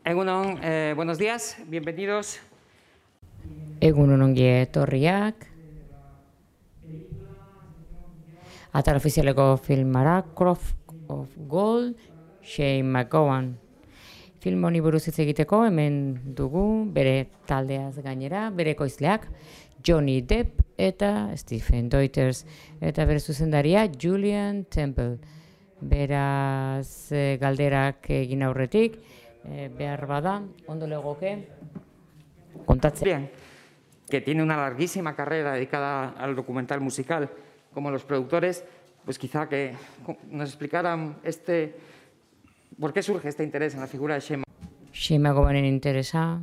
Egunon, buenos días, bienvenidos. Egunon ongi etorriak. Atal ofizialeko filmara Croft of Gold, Shane McGowan. Film honi buruz hitz egiteko hemen dugu bere taldeaz gainera, bere ekoizleak Johnny Depp eta Stephen Deuters eta bere zuzendaria Julian Temple. Beraz galderak egin aurretik, behar bada, ondo legoke kontatzea. Bien, que tiene una larguísima carrera dedicada al documental musical, como los productores, pues quizá que nos explicaran por qué surge este interés en la figura de Shane McGowanen interesa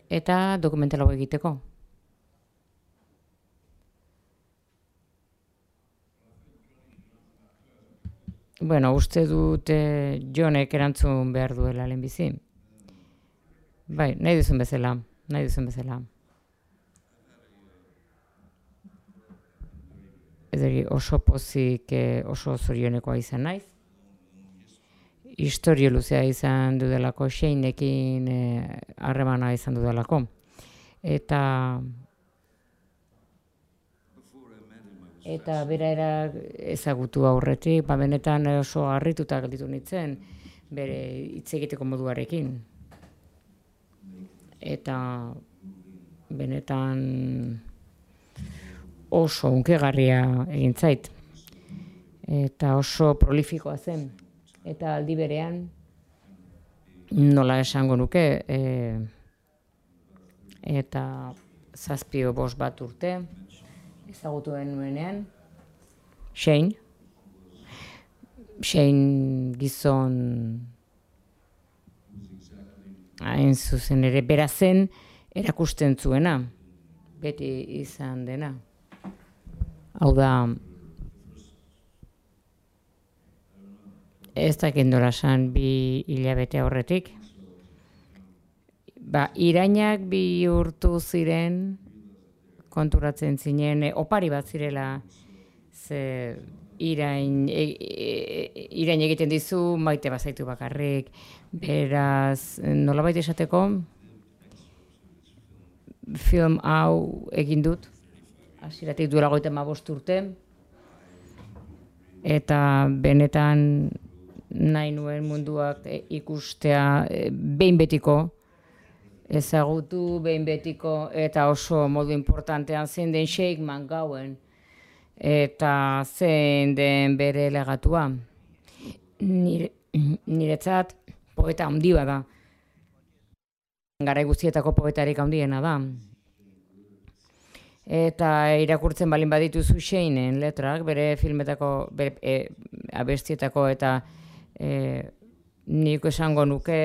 eta dokumental hau egiteko. Bueno, uste dut Jonek erantzun behar duela lehenbizi. Bai, nahi duzun bezala. Ederi oso pozik, oso zorionekoa izan naiz. Historio luzea izan dudalako, Shaneekin harremana izan dudalako. Eta bera ezagutu aurretik, benetan oso harrituta gelditu nintzen, bere hitz egiteko moduarekin. Eta benetan oso hunkigarria egin zait. Eta oso prolifikoa zen. Eta aldi berean, nola esango nuke, eta 7-5 bat urte, ezagutuen nuenean, Shane gizon hain zuzen ere bera zen erakusten zuena, beti izan dena. Hau da, ez dakit nola esan 2 hilabete aurretik. Irainak bihurtu ziren, konturatzen zinen, opari bat zirela, ze irain egiten dizu, maite bazaitu bakarrik, beraz, nolabait esateko, film hau egin dut, hasieratik duela 35 urte, eta benetan nahi nuen munduak ikustea behin betiko, ezagutu behin betiko, eta oso modu importantean zein den Shane McGowan, eta zein den bere legatua. Niretzat poeta handia da. Garai guztietako poetarik handiena da. Eta irakurtzen balin badituzu Shaneen letrak, bere filmetako, bere abestietako, eta nik esango nuke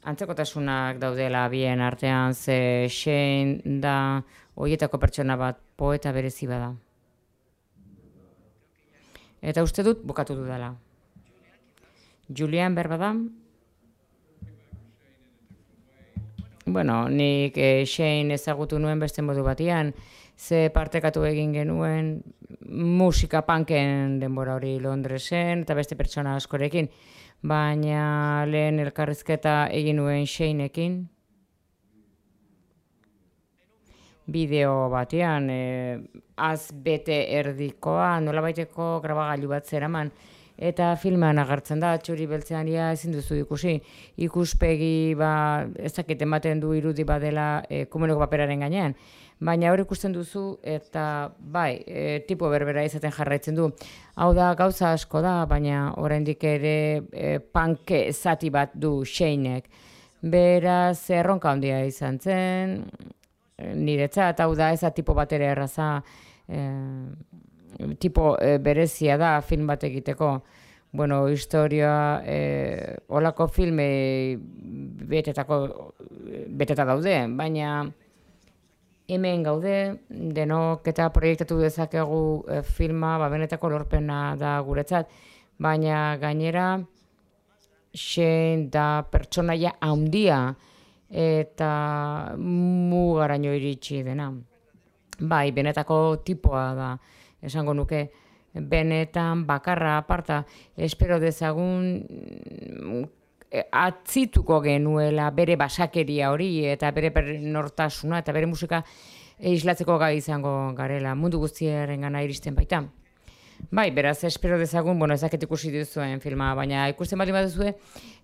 antzekotasunak daudela bien artean, ze Shane da horietako pertsona bat, poeta berezi bada. Eta uste dut bukatu dudala. Julian berbada? Bueno, nik Shane ezagutu nuen beste modu batian, ze partekatu egin genuen musika punken denbora hori Londresen, eta beste pertsona askorekin, baina lehen elkarrizketa egin nuen Shaneekin, bideo batean, bete erdikoa, nolabaiteko grabagailu bat zeraman, eta filmean agertzen da, txuri beltzean ezin duzu ikusi, ikuspegi ez dakit ematen du irudi badela komuneko paperaren gainean, baina hor ikusten duzu, eta bai, tipo berbera izaten jarraitzen du. Hau da, gauza asko da, baina oraindik ere punk zati bat du Shaneek. Beraz, erronka handia izan zen, niretzat, hau da, ez da tipo bat ere erraza, tipo berezia da film bat egiteko. Bueno, historia, olako filme beteta daude, baina hemen gaude, denok eta proiektatu dezakegu filma, benetako lorpena da guretzat, baina gainera Shane da pertsonaia handia eta mugaraino iritsi dena. Bai, benetako tipoa da, esango nuke, benetan bakarra aparta, espero dezagun atzituko genuela bere basakeria hori eta bere nortasuna eta bere musika islatzeko gai izango garela, mundu guztiaren gana iristen baita. Bai, beraz, espero dezagun, ez dakit ikusi duzuen filma, baina ikusten baldin baduzue,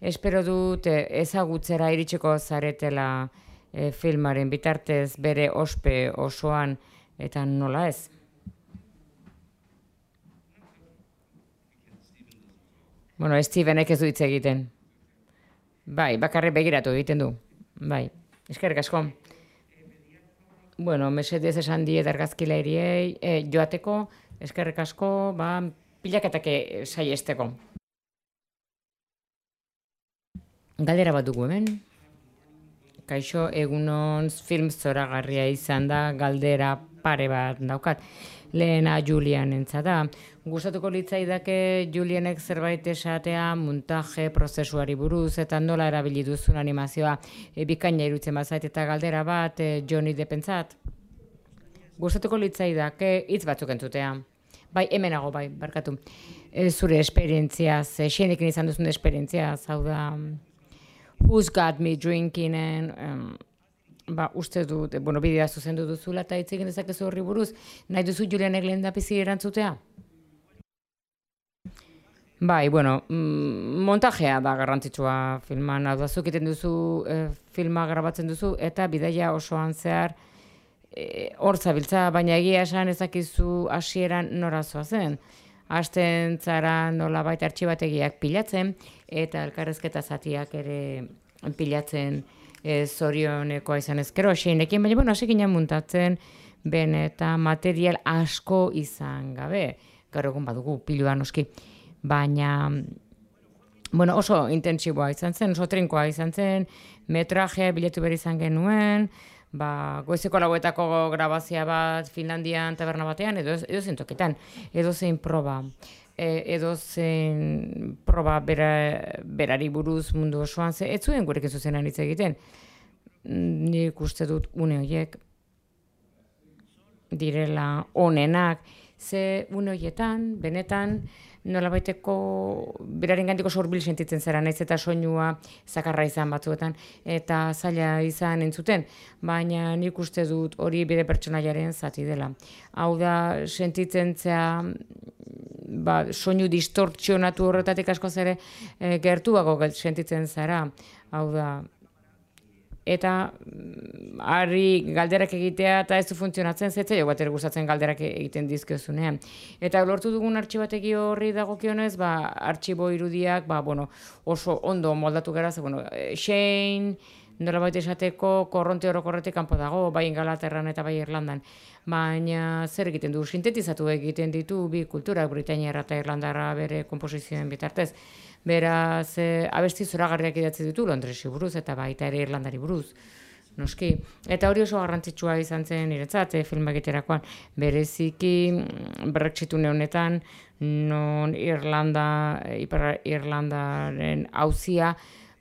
espero dut ezagutzera iritsiko zaretela filmaren bitartez bere ospe osoan eta nola ez. Stevenek ez du hitz egiten. Bai, bakarrik begiratu egiten du. Bai, eskerrik asko. Mesedez esan diet argazkilairiei joateko, eskerrik asko, pilaketak saiesteko. Galdera bat dugu hemen. Kaixo, egunon film zoragarria izan da, galdera pare bat daukat. Lehena Julian entzada. Gustatuko litzaidake Julianek zerbait esatea montaje prozesuari buruz eta nola erabili duzun animazioa bikaina irutzen bazait eta galdera bat Johnny Deppentzat. Gustatuko litzaidake hitz batzuk entzutea. Bai, hemenago, barkatu. Zure esperientziaz, xenekin izan duzun esperientziaz, hau da Who's Got Me Drinkingen, uste dut, bidea zuzendu duzula eta hitz egin dezakezu horri buruz, nahi duzu Julianek lehendabizi erantzutea? Bai, montajea da garrantzitsua filman, hau da, zuk egiten duzu, filma grabatzen duzu, eta bidaia osoan zehar hor zabiltza, baina egia esan ezakizu hasieran nora zoazen. Hasten zara nolabait artxibategiak pilatzen, eta elkarrezketa zatiak ere pilatzen zorionekoa izan ezkero, xeinekin, baina hasi ginen muntatzen, eta material asko izan gabe. Gaur egun badugu pilua noski. Baina, oso intentsiboa izan zen, oso trinkoa izan zen, metrajea bilatu behar izan genuen, goizeko lauetako grabazia bat Finlandian taberna batean, edo zein toketan, edo zein proba. Edo zein proba berari buruz mundu osoan, ez zuen gurekin zuzenan hitz egiten. Nik uste dut une horiek direla onenak, ze une horietan, benetan, nolabaiteko beraren gantiko sorbil sentitzen zara, naiz eta soinua zakarra izan batzuetan, eta zaila izan entzuten, baina nik uste dut hori bere pertsonaiaren zati dela. Hau da, sentitzen zea, soinu distortzionatu horretatik askoz ere gertuago sentitzen zara, hau da, eta harri galderak egitea eta ez du funtzionatzen zetzaio bat gustatzen galderak egiten dizkiozunean. Eta lortu dugun artxibategi horri dagokionez, artxibo irudiak oso ondo moldatu gara, Shane, nolabait esateko korronte orokorretik kanpo dago, bai Ingalaterran eta bai Irlandan. Baina zer egiten du, sintetizatu egiten ditu bi kulturak, Britainiarra eta Irlandarra bere komposizioen bitartez. Beraz, abesti zoragarriak idatzi ditu Londresi buruz eta baita ere Irlandari buruz. Noski. Eta hori oso garrantzitsua izan zen niretzat film egiterakoan. Bereziki Brexitune honetan, non Ipar Irlandaren auzia,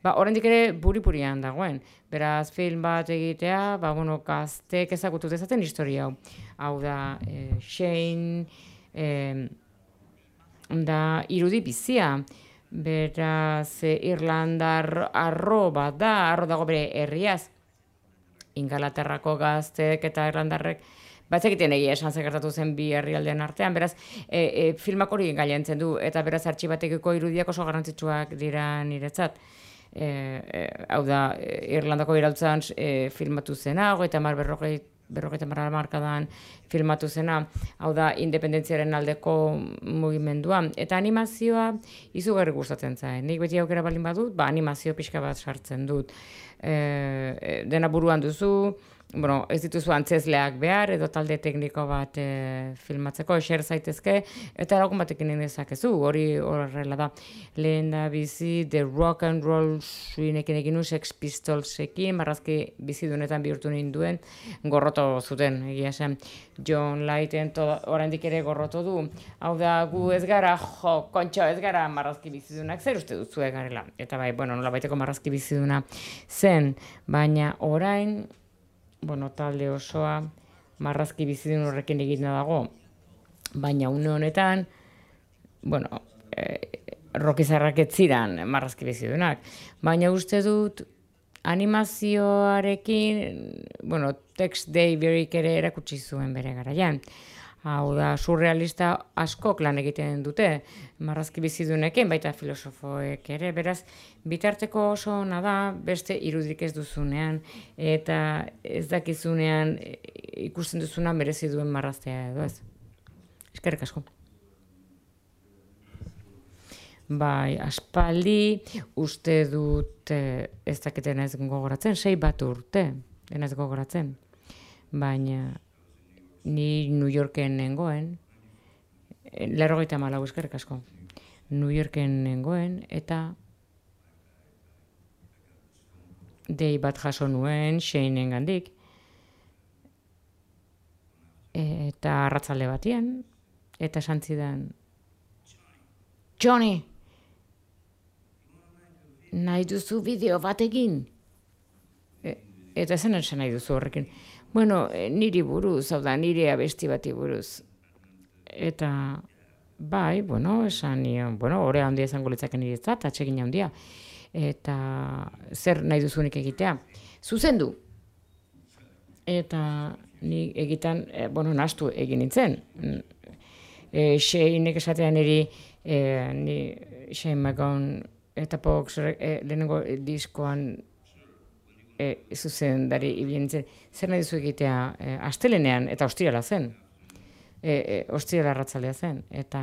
oraindik ere buri-burian dagoen. Beraz, film bat egitea, gaztek ezagutu dezaten historia hau. Hau da, Shane, da irudi bizia. Beraz, Irlandar arro bat da, arro dago bere herriaz. Ingalaterrako gaztek eta Irlandarrek batzekiten egia esan gertatu zen bi herrialdean artean, beraz, filmak hori gailentzen du, eta beraz artxibatekiko irudiak oso garrantzitsuak dira niretzat. Hau da, Irlandako iraultzan filmatu zena, 50 markadan filmatu zena, hau da, independentziaren aldeko mugimendua. Eta animazioa izugarri gustatzen zain. Nik beti aukera baldin badut, animazio pixka bat sartzen dut. Dena buruan duzu, ez dituzu antzezleak behar, edo talde tekniko bat filmatzeko, eser zaitezke, eta lagun batekin dezakezu, hori horrela da. Lehen da bizi, The Rock and Roll suinekin egin nu, Sex Pistolsekin, marrazki bizidunetan bihurtu ninduen, gorroto zuten, egia esan. John Lighten oraindik ere gorroto du. Hau da, gu ez gara, kontxo, ez gara marrazki bizidunak, zer uste duzu garela. Eta bai, nolabaiteko marrazki biziduna zen, baina orain, talde osoa marrazki bizidun horrekin egiten dago, baina une honetan, rokizarrak ez ziren marrazki bizidunak. Baina uste dut animazioarekin, bueno, Tex Averyk ere erakutsi zuen bere garaian. Hau da, surrealista askok lan egiten dute, marrazki bizidunekin, baita filosofoek ere, beraz, bitarteko oso ona da, beste irudik ez duzunean, eta ez dakizunean ikusten duzunean merezi duen marraztea edo ez. Eskerrik asko. Bai, aspaldi uste dut ez dakiten ez gogoratzen, 6 bat urte, ez gogoratzen, baina ni New Yorken nengoen, 94 eskerrik asko, New Yorken nengoen, eta dei bat jaso nuen Shane gandik, eta arratzalde batien, eta esan zidan, Johnny, nahi duzu bideo bat egin? Eta zen nahi duzu horrekin. Bueno, niri buruz, hau da, nire abesti bati buruz. Eta, bai, bueno, esan nion, bueno, horea handia izango litzake nire ez da, atsegin handia. Eta, zer nahi duzunik egitea? Zuzendu. Eta, ni egiten, bueno, nahastu egin nintzen. Shainek esatean niri, Shane MacGowan eta Pox lehenengo diskoan zuzendari ibili nintzen, zer nahi duzu egitea astelenean, eta ostirala zen. Ostirala arratzaldea zen, eta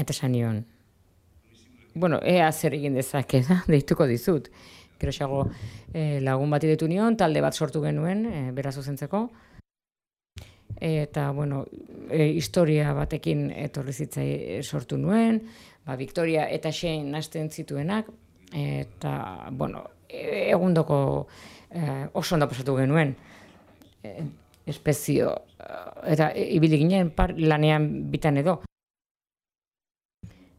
esan nion. Bueno, ea zer egin dezake da, deituko dizut. Geroxago lagun bati deitu nion, talde bat sortu genuen, bera zuzentzeko. Eta, bueno, historia batekin etorri zitzai sortu nuen, Victoria eta Shane nahasten zituenak, eta, bueno, egundoko oso ondo pasatu genuen. Espezio, eta ibili ginen lanean bitan edo.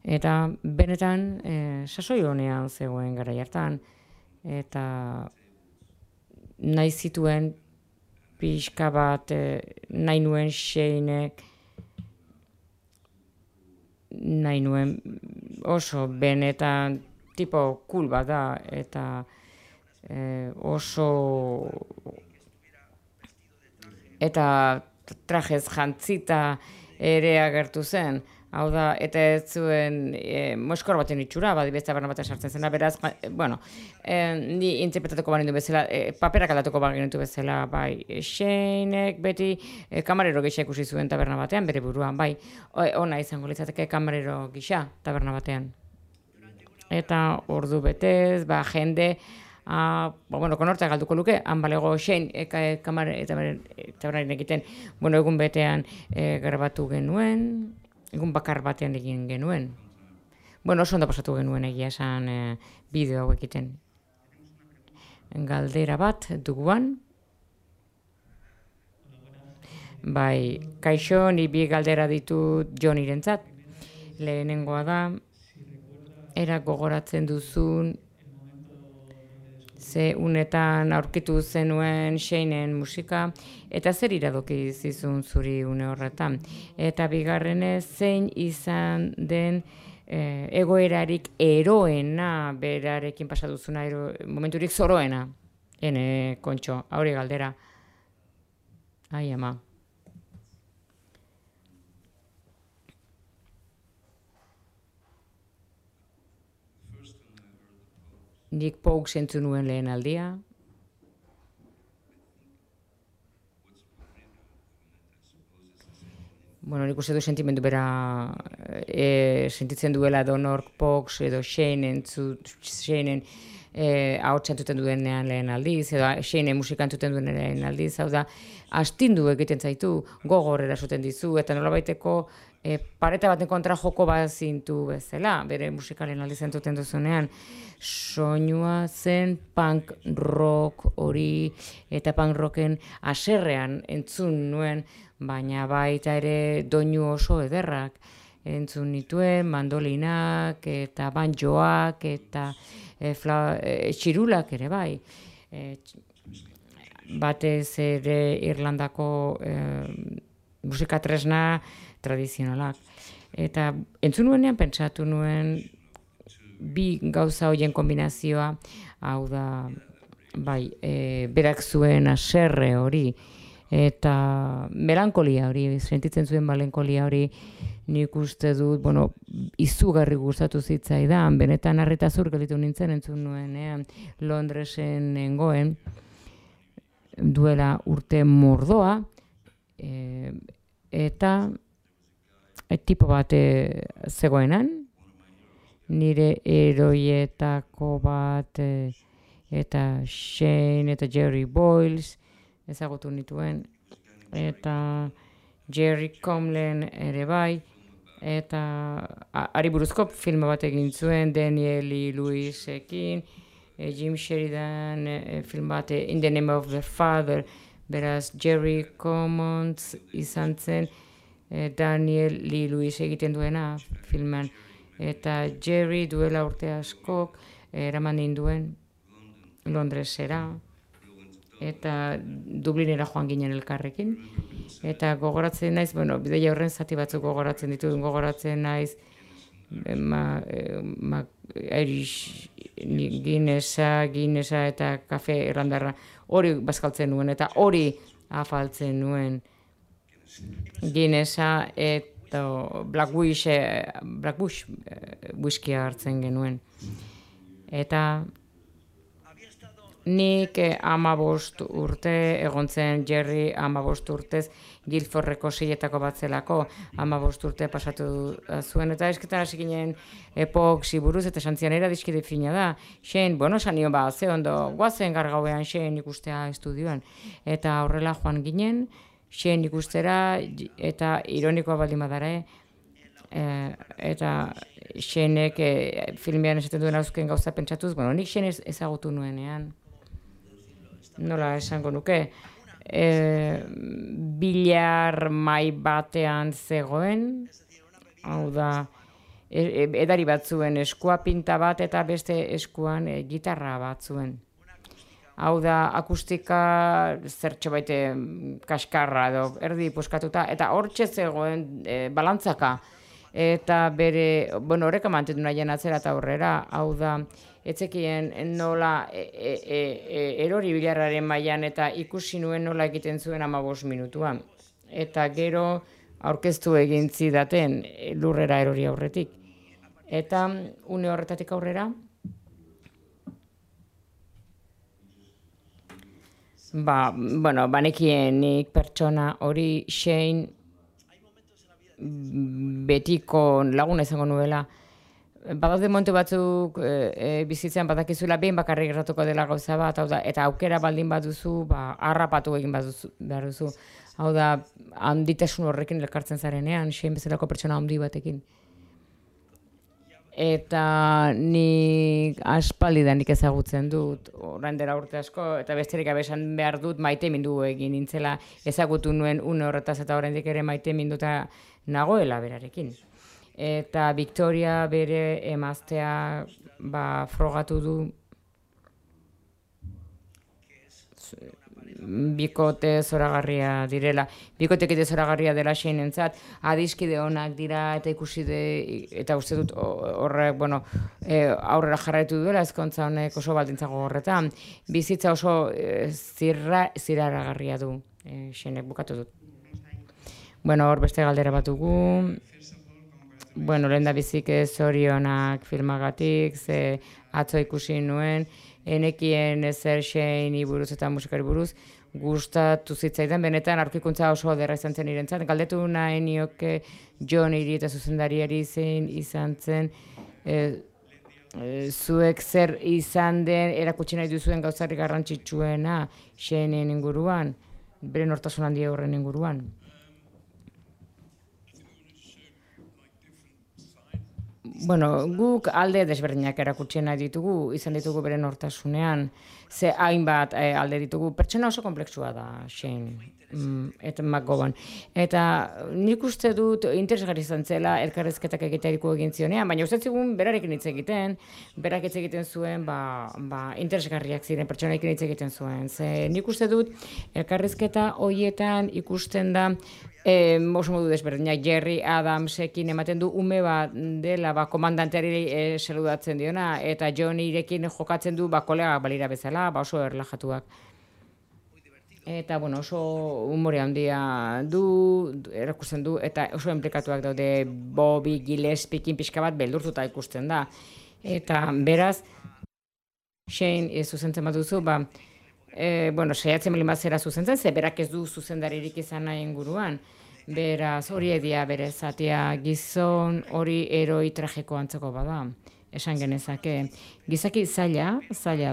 Eta benetan sasoi honean zegoen garai hartan, eta nahi zituen pixka bat nahi nuen Shanek, nahi nuen oso benetan tipo cool bat da, eta oso eta trajez jantzita ere agertu zen. Hau da, eta ez zuen moskor baten itxura, beste barna batean sartzen zena, beraz, bueno, ni interpretatuko banindu bezala, paperak aldatuko banindu bezala, bai, Shanek beti kamarero gisa ikusi zuen taberna batean, bere buruan, bai, ona izango litzateke kamarero gisa taberna batean. Eta ordu betez, jende, bueno, konortea galduko luke, han balego Shane tabernarin egiten, bueno, egun betean grabatu genuen, egun bakar batean egin genuen. Bueno, oso ondo pasatu genuen egia esan bideo hau egiten. Galdera bat duguan. Bai, kaixo, ni bi galdera ditut Jonirentzat. Lehenengoa da, era gogoratzen duzun ze unetan aurkitu zenuen Shanen musika, eta zer iradoki zizun zuri une horretan. Eta bigarrenez, zein izan den egoerarik eroena, berarekin pasaduzuna, momenturik zoroena. Ene, kontxo, hauri galdera. Ai, ama. Nik Pogue zentzu nuen lehen aldia. Bueno, nik uste du sentimendu bera sentitzen duela Donork Pogue edo Shanen ahotsa entzuten duenean lehen aldiz, edo Shanen musika entzuten duenean lehen aldiz, hau da, astindu egiten zaitu, gogor erasoten dizu, eta nolabaiteko pareta baten kontra joko bat zintu bezala, bere musikalen aldiz entzuten duzunean, soinua zen punk rock hori, eta punk rocken haserrean entzun nuen, baina baita ere doinu oso ederrak entzun nituen, mandolinak, eta banjoak, eta txirulak ere bai. Batez ere Irlandako musika tresna tradizionalak. Eta entzun nuenean pentsatu nuen bi gauza horien kombinazioa, hau da, bai, berak zuen haserre hori, eta melankolia hori, sentitzen zuen melankolia hori, nik uste dut, bueno, izugarri gustatu zitzaidan, benetan harrita zur gelditu nintzen entzun nuenean Londresen nengoen, duela urte mordoa, eta tipo bat zegoenan, nire eroietako bat, eta Shane eta Jerry Boyles ezagutu nituen, eta Jerry Comlen ere bai, eta ari buruzko filma bat egin zuen Daniel Lewisekin, Jim Sheridan film bat In the Name of the Father, beraz Jerry Commons izan zen Daniel Lewis egiten duena filman, eta Jerry duela urte askok eraman ninduen Londresera, eta Dublinera joan ginen elkarrekin, eta gogoratzen naiz, bueno, bideia horren zati batzuk gogoratzen ditut, gogoratzen naiz Irish Guinnessa eta kafe irlandarra hori bazkaltzen nuen, eta hori afaltzen nuen Guinnessa eta Blackbush whisky hartzen genuen. Eta nik 15 urte egon zen Jerry 15 urtez Guildfordreko seietako bat zelako, 15 urte pasatu zuen, eta esketan hasi ginen epoxi buruz, eta santzian era dizkide fina da. Shane, bueno, sanio ba, ze ondo, guazen gargauean Shane ikustea estudioan. Eta horrela joan ginen, Shane ikustera, eta ironikoa baldin badara, eta Shanek filmean esaten duen auzken gauza pentsatuz, bueno, nik Shane ezagutu nuenean. Nola esango nuke, bilar mai batean zegoen, hau da, edari bat zuen, eskua pinta bat eta beste eskuan gitarra bat zuen. Hau da, akustika zertxo baite kaskarra edo erdi puskatuta, eta hortxe zegoen balantzaka. Eta bere, bueno, horreka mantendu nahien atzera eta aurrera, hau da, etzekien nola erori bilarraren mailan eta ikusi nuen nola egiten zuen 15 minutuan. Eta gero aurkeztu egin zidaten lurrera erori aurretik. Eta une horretatik aurrera, banekien nik pertsona hori Shane betiko laguna izango nuela. Badaude momentu batzuk bizitzan badakizula behin bakarrik gertatuko dela gauza bat, hau da, eta aukera baldin baduzu, harrapatu egin behar duzu. Hau da, handitasun horrekin elkartzen zarenean, Shane bezalako pertsona handi batekin. Eta nik aspaldidanik ezagutzen dut, orain dela urte asko, eta besterik gabe esan behar dut maitemindu egin nintzela, ezagutu nuen une horretaz eta oraindik ere maiteminduta nagoela berarekin. Eta Victoria bere emaztea frogatu du bikote zoragarria direla. Bikotekite zoragarria dela Shaneentzat, adiskide onak dira eta ikusi eta uste dut horrek, bueno, aurrera jarraitu duela ezkontza honek oso baldintza gogorretan. Bizitza oso ziraragarria du, Shaneenek bukatu dut. Bueno, hor beste galdera bat dugu. Bueno, lehen da bizik zorionak filmagatik, ze atzo ikusi nuen, enekien ezer Shanei buruz eta musikari buruz, gustatu zitzaidan, benetan aurkikuntza oso ederra izan zen irentzat. Galdetu nahi nioke Johnnyri eta zuzendariari zein izan zen, zuek zer izan den erakutsi nahi duzuen gauzarrik garrantzitsuena Shaneen inguruan, bere nortasun handia horren inguruan. guk alde desberdinak erakutsi nahi ditugu, izan ditugu bere nortasunean, ze hainbat alde ditugu, pertsona oso komplexua da, Shane, eta McGowan. Eta nik uste dut interesgarri izan zela elkarrezketak egiteriko egin zionean, baina uste zigun berarekin hitz egiten, berak hitz egiten zuen, interesgarriak ziren pertsonaekin hitz egiten zuen. Ze nik uste dut elkarrezketa hoietan ikusten da, oso modu desberdinak, Jerry Adamsekin ematen du ume bat dela komandanteari saludatzen diona, eta Johnnyrekin jokatzen du kolegak balira bezala, oso erlajatuak. Eta, oso humore handia erakusten du, eta oso enplikatuak daude Bobby Gillespiekin pixka bat beldurtuta ikusten da. Eta, beraz, Shane zuzentzen bat duzu, saiatzen malin bat zera zuzentzen, ze berak ez du zuzendaririk izan nahi inguruan. Beraz, hori edia bere zatia gizon hori eroi tragiko antzeko bada. Esan genezake, gizaki zaila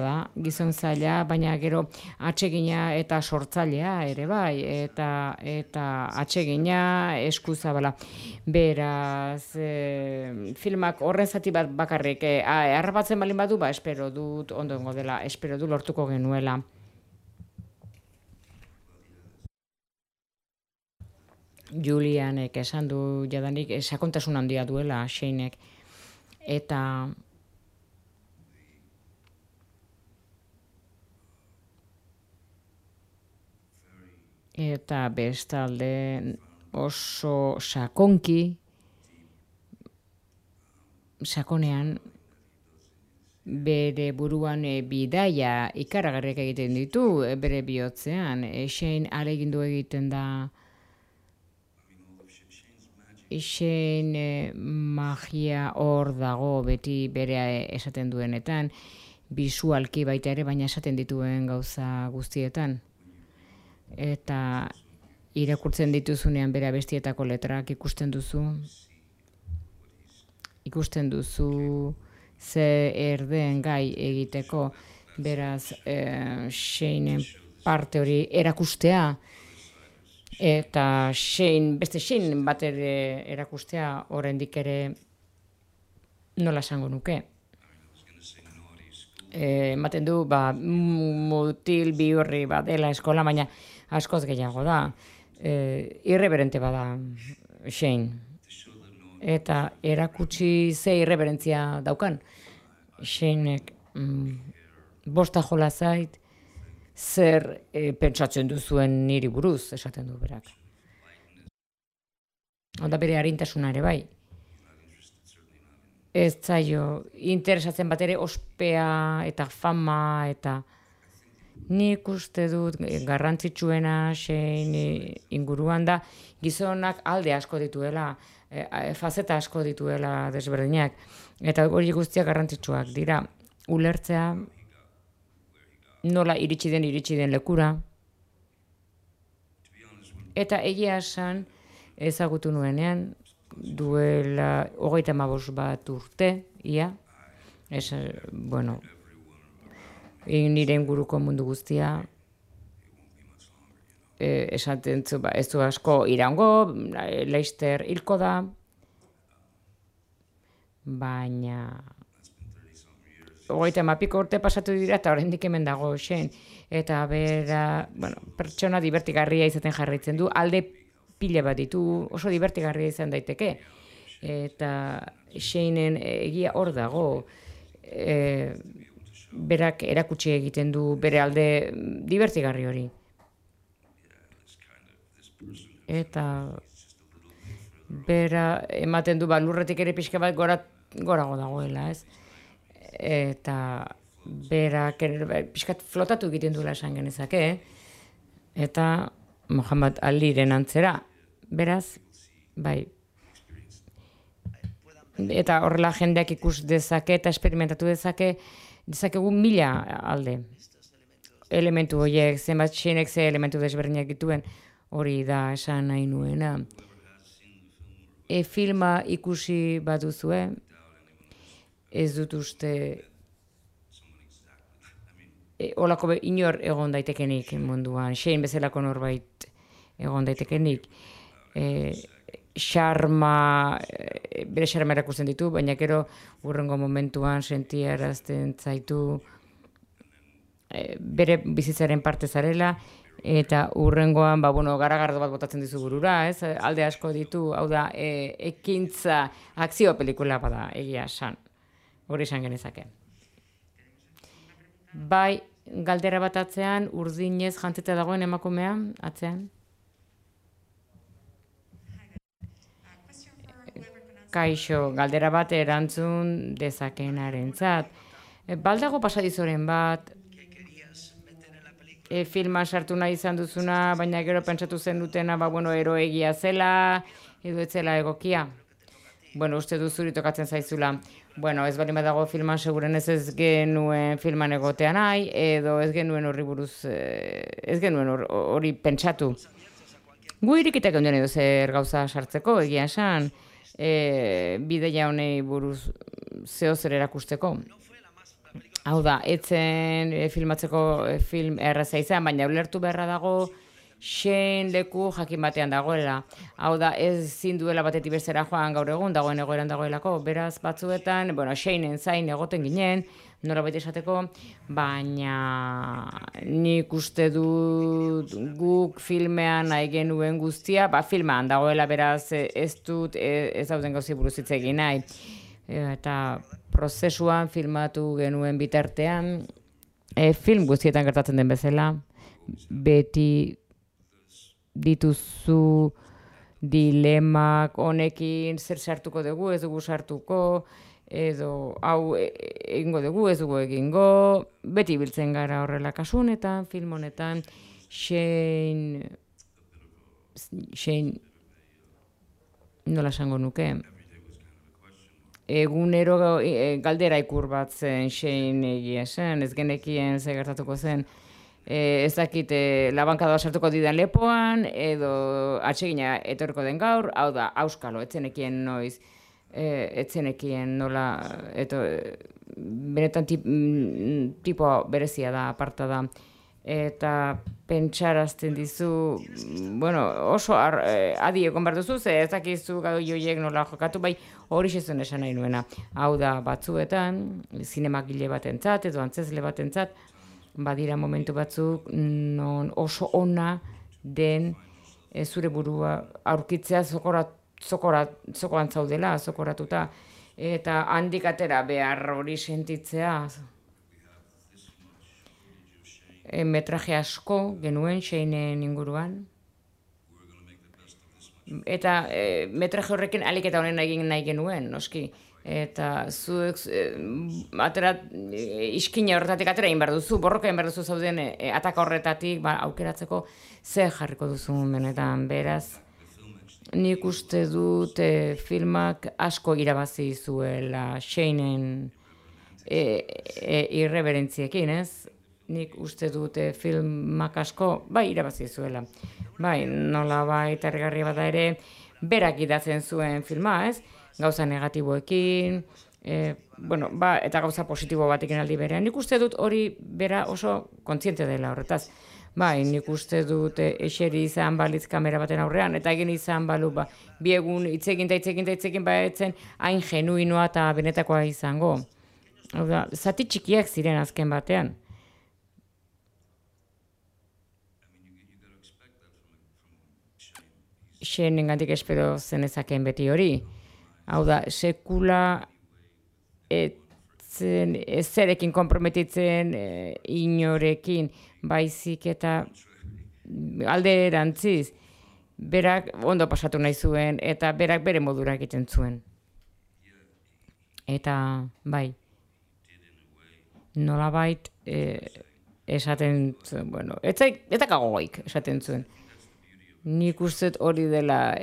da, gizon zaila, baina gero atsegina eta sortzailea ere bai, eta atsegina eskuzabala. Beraz, filmak horren zati bat bakarrik, harrapatzen balin badu, espero dut ondo dengo dela, espero du lortuko genuela. Julianek esan du jadanik sakontasun handia duela Shanek. Eta bestalde oso sakonean bere buruan bidaia ikaragarriak egiten ditu bere bihotzean. Shane ahalegindu egiten da. Shane magia hor dago beti bere esaten duenetan, bisualki baita ere, baina esaten dituen gauza guztietan. Eta irakurtzen dituzunean bere abestietako letrak ikusten duzu ze erden gai egiteko, beraz Shaneen parte hori erakustea, eta beste Shane bat ere erakustea oraindik ere nola esango nuke. Ematen du, mutil bihurri bat dela eskola, baina askoz gehiago da. Irreverente bada Shane. Eta erakutsi ze irreverentzia daukan. Shanek bosta jola zait, zer pentsatzen duzuen niri buruz, esaten du berak. Onda bere arintasuna ere bai. Ez zaio interesatzen bat ere ospea eta fama eta nik uste dut garrantzitsuena Shane inguruan da gizonak alde asko dituela, fazeta asko dituela desberdinak, eta hori guztiak garrantzitsuak dira. Ulertzea nola iritsi den lekura. Eta egia esan ezagutu nuenean, duela 35 bat urte, ia. Nire inguruko mundu guztia, esaten zu, ez du asko iraungo, Leicester hilko da, baina 30 urte pasatu dira eta oraindik hemen dago Shane. Eta bera, pertsona divertigarria izaten jarraitzen du, alde pila bat ditu, oso divertigarria izan daiteke. Eta Shaneen egia hor dago, berak erakutsi egiten du bere alde divertigarri hori. Eta bera ematen du lurretik ere pixka bat gorago dagoela, ez? Eta berak pixkat flotatu egiten duela esan genezake, eta Muhammad Aliren antzera, beraz, bai. Eta horrela jendeak ikus dezake eta esperimentatu dezakegu 1000 alde. Elementu horiek, zenbat Shanek ze elementu desberdinak dituen, hori da esan nahi nuena. Filma ikusi baduzue, ez dut uste holako inor egon daitekenik munduan, Shane bezalako norbait egon daitekenik. bere xarma erakusten ditu, baina gero hurrengo momentuan sentiarazten zaitu bere bizitzaren parte zarela, eta hurrengoan, garagardo bat botatzen dizu burura, ez? Alde asko ditu, hau da, ekintza, akzio pelikula bada, egia esan. Hori esan genezake. Bai, galdera bat atzean, urdinez jantzita dagoen emakumea, atzean. Kaixo, galdera bat erantzun dezakeenarentzat. Baldago pasadizoren bat, filma sartu nahi izan duzuna, baina gero pentsatu zen dutena, eroegia zela, edo ez zela egokia. Uste duzuri tokatzen zaizula. Ez bali badago filman seguren ez genuen filman egotea nahi, edo ez genuen horri buruz, ez genuen hori pentsatu. Gu irikitak ondien edo zer gauza sartzeko, egia esan, bideia honei buruz zeo zer erakusteko. Hau da, etzen filmatzeko film erraza izan, baina ulertu beharra dago Shane leku jakin batean dagoela. Hau da, ez zinduela batetik bestera joan gaur egun, dagoen egoeran dagoelako. Beraz, batzuetan, Shaneen zain egoten ginen, nola baita esateko, baina nik uste dut guk filmean nahi genuen guztia, filmean dagoela beraz ez dut ez dauden gauzi buruz hitz egin nahi. Eta prozesuan filmatu genuen bitartean, film guztietan gertatzen den bezala, beti dituzu dilemak honekin zer sartuko dugu, ez dugu sartuko, edo hau egingo dugu, ez dugu egingo, beti biltzen gara horrela kasu honetan, film honetan, Shane, nola esango nuke, egunero galdera ikur bat zen Shane egia zen, ez genekien ze gertatuko zen, ez dakit labankada sartuko didan lepoan, edo atsegina etorriko den gaur, hau da, auskalo, etzenekien noiz, etzenekien nola, benetan tipo berezia da, aparta da, eta pentsarazten dizu, oso adi egon behar duzu, ez dakizu gau joiek nola jokatu, bai hori xezun esan nahi nuena. Hau da, batzuetan, zinemagile batentzat, edo antzezle batentzat, badira momentu batzuk non oso ona den zure burua aurkitzea zokoan zaudela, zokoratuta, eta handik atera behar hori sentitzea. Metraje asko genuen Shaneen inguruan, eta metraje horrekin alik eta honen egin nahi genuen, noski. Eta zuek iskina horretatik atera egin behar duzu, borroka egin behar duzu zauden ataka horretatik aukeratzeko zer jarriko duzu benetan, beraz. Nik uste dut filmak asko irabazi zuela Shaneen irreberentziekin, ez? Nik uste dut filmak asko, irabazi zuela. Nola harrigarria bada ere, berak idatzen zuen filma, ez? Gauza negatiboekin, eta gauza positibo batekin aldi berean. Nik uste dut hori bera oso kontziente dela horretaz. Nik uste dut eseri izan balitz kamera baten aurrean, eta egin izan balu, bi egun hitzekin baetzen hain genuinoa eta benetakoa izango. Zati txikiak ziren azken batean. Shaneengandik espero zenezakeen beti hori. Hau da, sekula zerekin konprometitzen inorekin, baizik eta alde erantziz, berak ondo pasatu nahi zuen, eta berak bere modura egiten zuen. Eta, nolabait esaten zuen, eta kagoik esaten zuen. Nik uste hori dela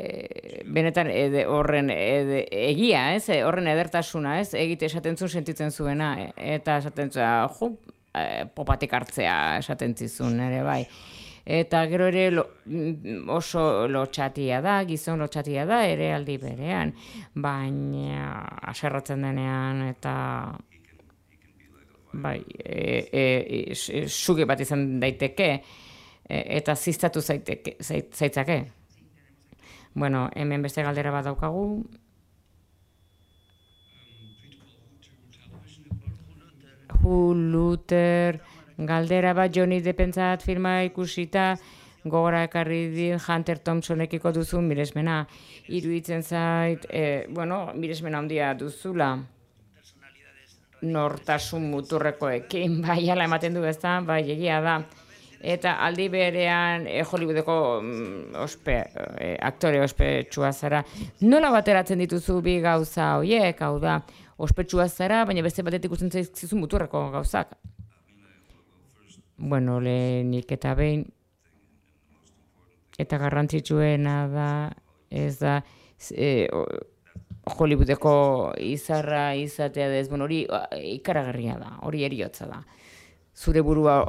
benetan horren egia, horren edertasuna, egite esaten zuen sentitzen zuena, eta esaten zuen, popatik hartzea esaten zizun ere bai. Eta gero ere oso lotxatia da, gizon lotxatia da ere aldi berean, baina aserratzen denean eta suge bat izan daiteke, eta ziztatu zaitzake. Bueno, hemen beste galdera bat daukagu. Huluter, galdera bat Johnny Deppentzat filma ikusita, gogora ekarri di Hunter Thompsonekiko duzu miresmena. Iruditzen zait, miresmena handia duzula. Nortasun muturrekoekin, bai, ala ematen du ezta, bai, egia da. Eta aldi berean Hollywoodeko aktore ospetsua zara. Nola bateratzen dituzu bi gauza horiek, hau da, ospetsua zara, baina beste batetik ikusten zaizkizu muturreko gauzak. Bueno, lehenik eta behin, eta garrantzitsuena da, ez da, Hollywoodeko izarra izatea dez, hori ikaragarria da, hori eriotza da. Zure burua,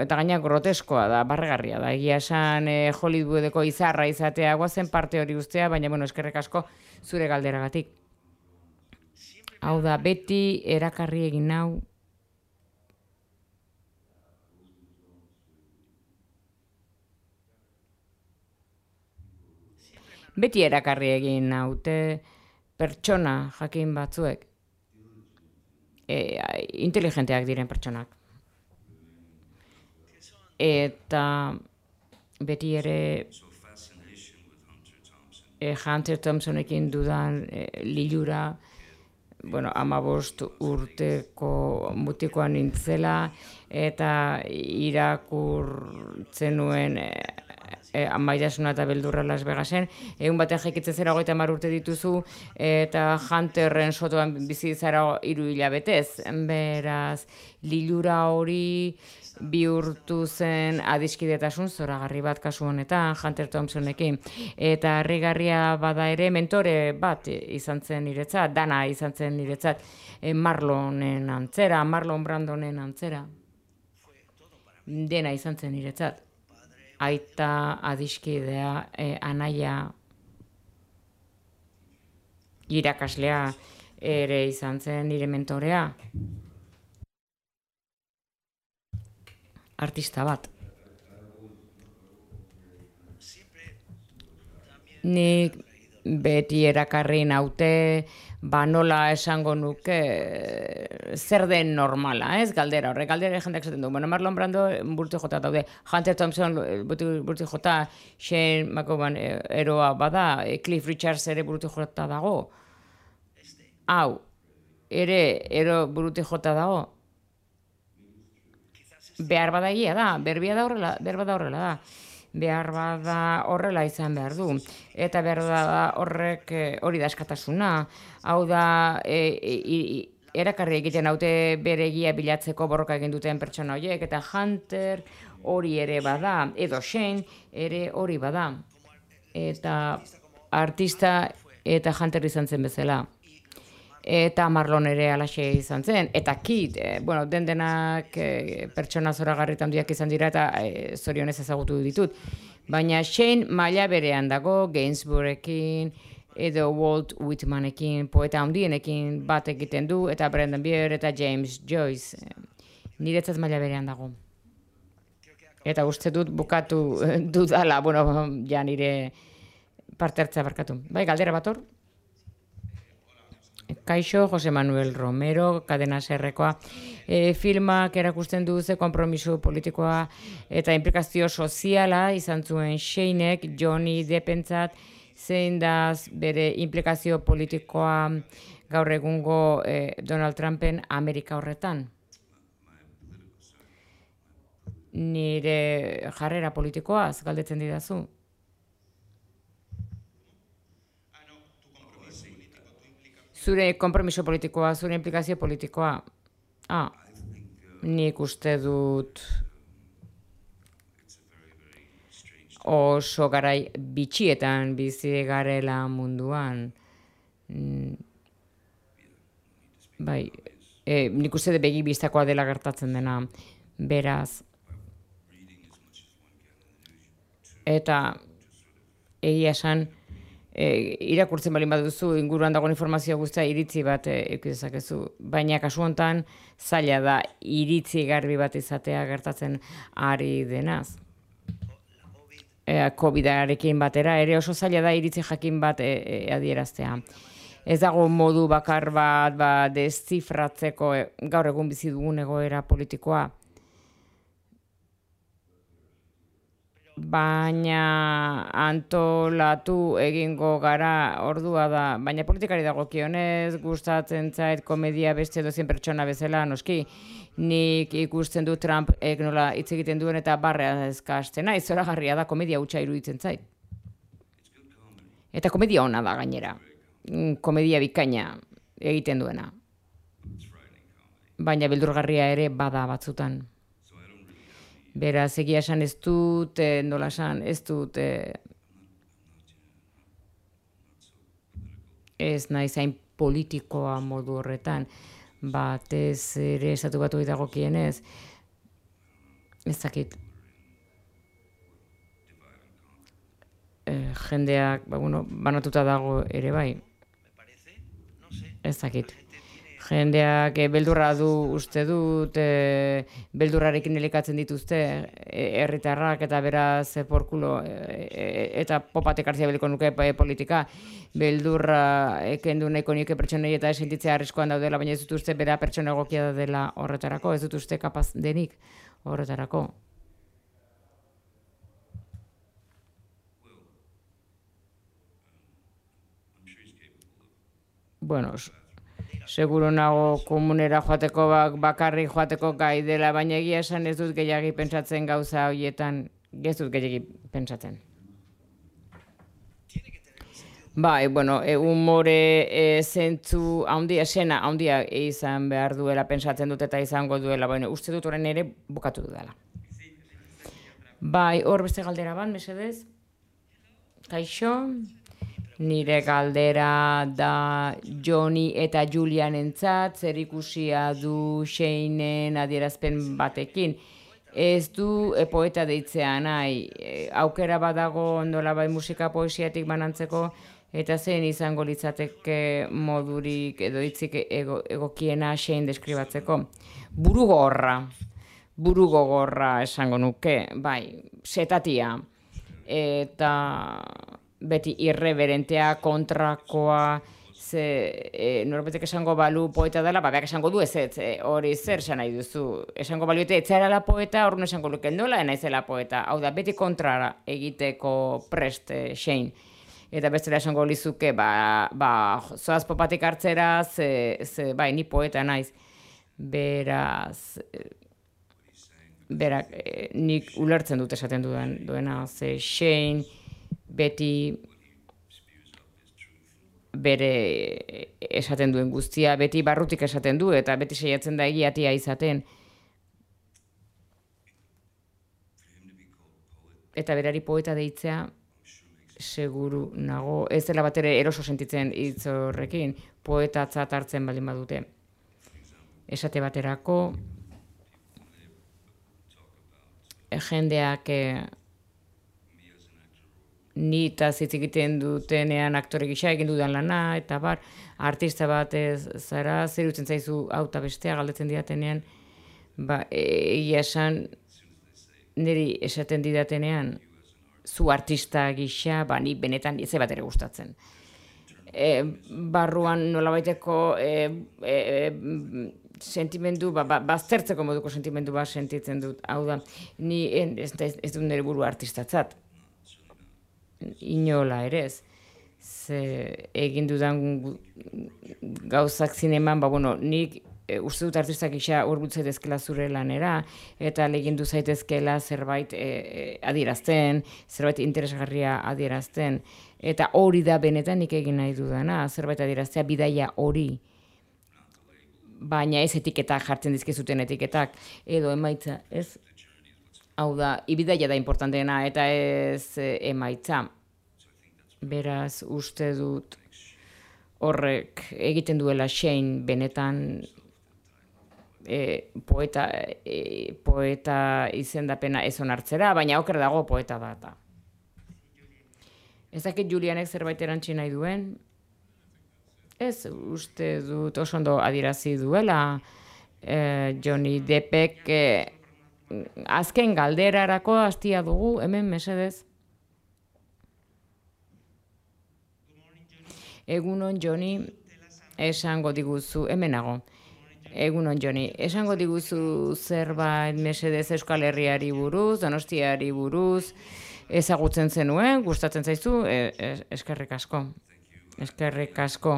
eta gaina groteskoa da, barregarria da. Egia esan Hollywoodeko izarra izatea guazen parte hori guztia, baina eskerrik asko zure galderagatik. Hau da, beti erakarri egin nau. Beti erakarri egin naute pertsona jakin batzuek. Inteligenteak diren pertsonak. Eta beti ere Hunter Thompsonekin dudan lilura, 15 urteko mutikoan nintzela, eta irakurtzen nuen Amaitasuna eta beldurra Las Vegasen, egun batean jaikitzen zera 30 urte dituzu, eta Hunterren sotoan bizi zara 3 hilabetez. Beraz, lilura hori bihurtu zen adiskidetasun zoragarri bat kasu honetan, Hunter Thompsonekin. Eta harrigarria bada ere mentore bat izan zen niretzat, dana izan zen niretzat, Marlonen antzera, Marlon Brandonen antzera. Dena izan zen niretzat. Aita, adiskidea, anaia, irakaslea ere izan zen nire mentorea. Artista bat. Nik beti erakarri naute, nola esango nuke zer den normala, ez? Galdera horrek, galdera jendeak esaten du. Marlon Brando burti jota daude, Hunter Thompson burti jota, Shane McGowan eroa bada, Cliff Richards ere burti jota dago. Hau, ere ero burti jota dago. Behar bada egia da, behar bada horrela da. Behar bada horrela izan behar du. Eta behar bada horrek hori da askatasuna. Hau da, erakarri egiten haute bere egia bilatzeko borroka egin duten pertsona horiek, eta Hunter hori ere bada, edo Shane ere hori bada. Eta artista eta Hunter izan zen bezala. Eta Marlon ere alaxe izan zen, eta Kid, denak pertsona zoragarritan handiak izan dira eta zorionez ezagutu ditut. Baina Shane maila berean dago, Gainsbourgekin, edo Walt Whitmanekin, poeta handienekin bat egiten du, eta Brendan Beer eta James Joyce. Niretzat maila berean dago. Eta uste dut bukatu dudala, ja nire parte hartzea barkatu. Bai, galdera bat hor? Kaixo, Jose Manuel Romero, Cadena Serrekoa. Filmak erakusten du ze konpromiso politikoa eta implikazio soziala izan zuen Shanek, Johnny Deppentzat, zein da bere implikazio politikoa gaur egungo Donald Trumpen Amerika horretan. Nire jarrera politikoaz galdetzen didazu. Zure konpromiso politikoa, zure implikazio politikoa. Nik uste dut oso garai bitxietan bizi garela munduan. Bai, nik uste dut begi bistakoa dela gertatzen dena. Beraz. Eta egia esan, irakurtzen baldin baduzu inguruan dagoen informazio guztia iritzi bat eukidezakezu, baina kasu honetan zaila da iritzi garbi bat izatea gertatzen ari denaz. COVID-arekin batera, ere oso zaila da iritzi jakin bat adieraztea. Ez dago modu bakar bat deszifratzeko gaur egun bizi dugun egoera politikoa. Baina antolatu egingo gara ordua da, baina politikari dagokionez gustatzen zait komedia beste edozein pertsona bezala, noski. Nik ikusten du Trump nola hitz egiten duen eta barrea ezkastena, zoragarria da, komedia hutsa iruditzen zait. Eta komedia ona da gainera. Komedia bikaina egiten duena. Baina beldurgarria ere bada batzutan. Beraz, egia esan ez dut, nola esan, ez dut, ez nahi zain politikoa modu horretan, batez ere estatu batuei dagokienez, ez dakit. Jendeak, banatuta dago ere bai. Ez dakit. Jendeak beldurra du uste dut, beldurrarekin elikatzen dituzte herritarrak eta beraz porkulo eta popatek hartzia beliko nuke politika. Beldurra kendu nahiko nioke pertsonei eta sentitzea arriskuan daudela, baina ez dut uste bera pertsona egokia dela horretarako, ez dut uste kapaz denik horretarako. Bueno, seguro nago komunera joateko bakarrik joateko gai dela, baina egia esan ez dut gehiagi pentsatzen gauza horietan, ez dut gehiagi pentsatzen. Bai, humore zentzu handia, esena handia izan behar duela pentsatzen dut eta izango duela, baina uste dut orain ere bukatu dudala. Bai, hor beste galdera bat, mesedez? Kaixo? Nire galdera da Johnny eta Julianentzat zer ikusia du Shanen adierazpen batekin. Ez du poeta deitzea nahi, aukera badago nolabai musika poesiatik banantzeko eta zein izango litzateke modurik edo hitzik egokiena Shane deskribatzeko. Burugogorra esango nuke, bai, setatia eta beti irreverentea, kontrakoa, norbetek esango balu poeta dela, beak esango du ez, hori zer esan nahi duzu. Esango baluete etzarala poeta, horren esango luken nola, naizela poeta. Hau da, beti kontrara egiteko prest Shane. Eta bestela esango lizuke, zoaz popatik hartzera, bai, ni poeta naiz. Beraz, nik ulertzen dut esaten duena, ze Shane, beti bere esaten duen guztia, beti barrutik esaten du, eta beti saiatzen da egiatia izaten. Eta berari poeta deitzea, seguru nago, ez dela bat ere eroso sentitzen hitz horrekin, poetatzat hartzen baldin badute. Esate baterako, jendeak ni eta hitz egiten dutenean aktore gisa egin dudan lana, eta artista bat zara, zer utzen zaizu hau eta bestea galdetzen didatenean, egia esan, niri esaten didatenean, zu artista gisa, ni benetan ez bat ere gustatzen. Barruan nolabaiteko sentimendu, baztertzeko moduko sentimendu bat sentitzen dut, hau da, ni ez dut nire buru artistatzat. Inola ere ez. Egin dudan gauzak zineman, nik uste dut artistak gisa hurbiltze dezkela zure lanera, eta legindu zaitezkela zerbait adierazten, zerbait interesgarria adierazten, eta hori da benetan nik egin nahi dudana, zerbait adieraztea bidaia hori. Baina ez etiketak jartzen dizkizuten etiketak, edo emaitza, ez? Hau da, ibidaia da importanteena eta ez emaitza. Beraz, uste dut horrek egiten duela Shane benetan poeta izendapena ez onartzera, baina oker dago poeta da. Ez dakit Julianek zerbait erantzi nahi duen? Ez, uste dut oso ondo adierazi duela Johnny Deppek azken galderarako hastia dugu, hemen mesedez. Egunon Joni, esango diguzu, hemenago. Egunon Joni, esango diguzu zerbait mesedez Euskal Herriari buruz, Donostiari buruz, ezagutzen zenuen, gustatzen zaizu, eskerrik asko. Eskerrik asko.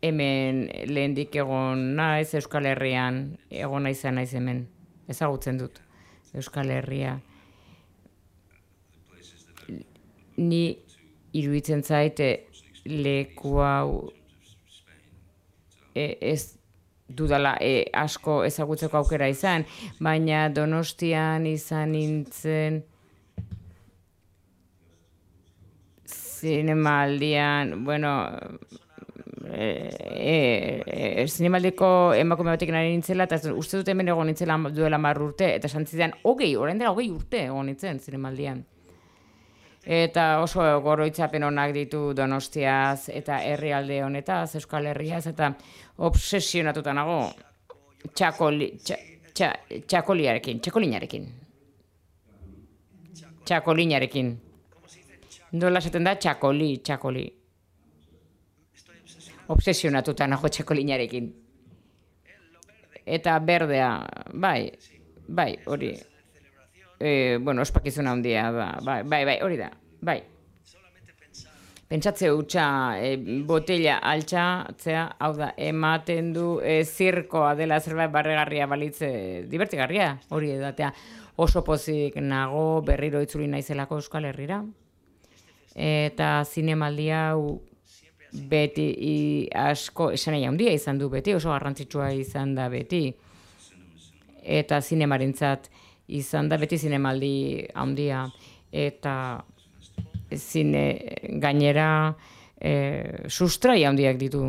Hemen lehendik egon naiz Euskal Herrian, egon naiz hemen, ezagutzen dut Euskal Herria. Ni iruditzen zaite leku hau ez dudala asko ezagutzeko aukera izan, baina Donostian izan nintzen zinemaldian, bueno, zinemaldiko emakume batekin ari nintzela, eta uste dut hemen egon nintzela duela 10 urte, eta esan zidan, orain dela 20 urte egon nintzen zinemaldian. Eta oso goroitzapen onak ditu Donostiaz eta herrialde honetaz, Euskal Herriaz, eta obsesionatuta nago txakolinarekin. Nola esaten da txakoli. Obsesionatuta nago txakolinarekin. Eta berdea, bai, hori. Bueno, ospakizuna handia da, bai, hori da, bai. Pentsatze hutsa, botella altxatzea, hau da, ematen du zirkoa dela zerbait barregarria balitze, divertigarria, hori edatea. Oso pozik nago berriro itzuli naizelako Euskal Herrira. Eta zinemaldi hau beti asko, esan nahi handia izan du beti, oso garrantzitsua izan da beti. Eta zinemarentzat izan da beti zinemaldi handia, eta gainera sustrai handiak ditu.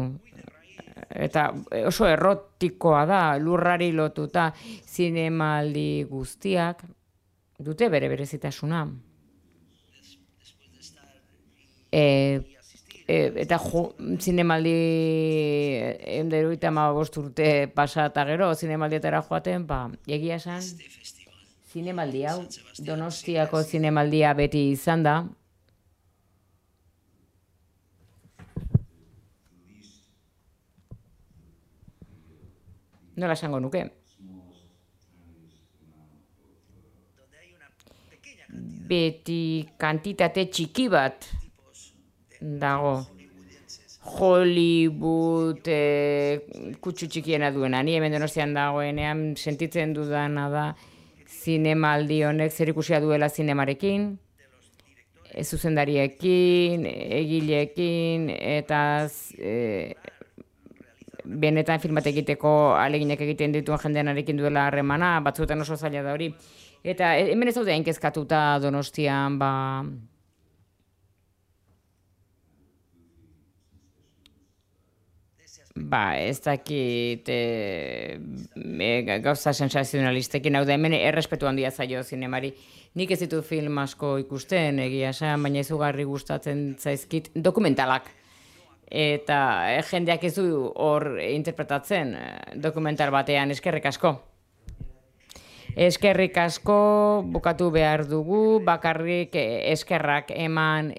Eta oso errotikoa da, lurrari lotuta, zinemaldi guztiak dute bere berezitasuna. Eta zinemaldi 175 urte pasa eta gero, zinemaldietara joaten, egia esan, zinemaldi hau, Donostiako zinemaldia beti izan da. Nola esango nuke? Beti kantitate txiki bat dago. Hollywood kutsu txikiena duena. Ni hemen Donostian dagoenean sentitzen dudana da zinemaldi honek zerikusia duela zinemarekin, zuzendariekin, egileekin, eta benetan filmat egiteko ahaleginak egiten dituen jendearekin duela harremana, batzuetan oso zaila da hori. Eta hemen ez daude hain kezkatuta Donostian, ez dakit gauza sensazionalistekin, hau da hemen errespetu handia zaio zinemari. Nik ez ditu film asko ikusten, egia esan, baina izugarri gustatzen zaizkit dokumentalak. Eta jendeak ez du hor interpretatzen dokumental batean, eskerrik asko. Eskerrik asko, bukatu behar dugu, bakarrik eskerrak eman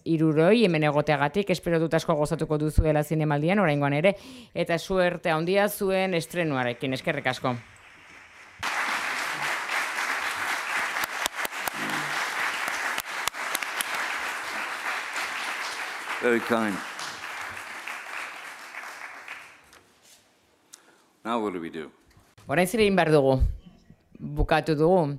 hiruroi hemen egoteagatik, espero dut asko gozatuko duzuela zinemaldian, oraingoan ere, eta suerte handia zuen estrenuarekin, eskerrik asko. Very kind. Now what do we do? Orain zer egin behar dugu? Bukatu dugu.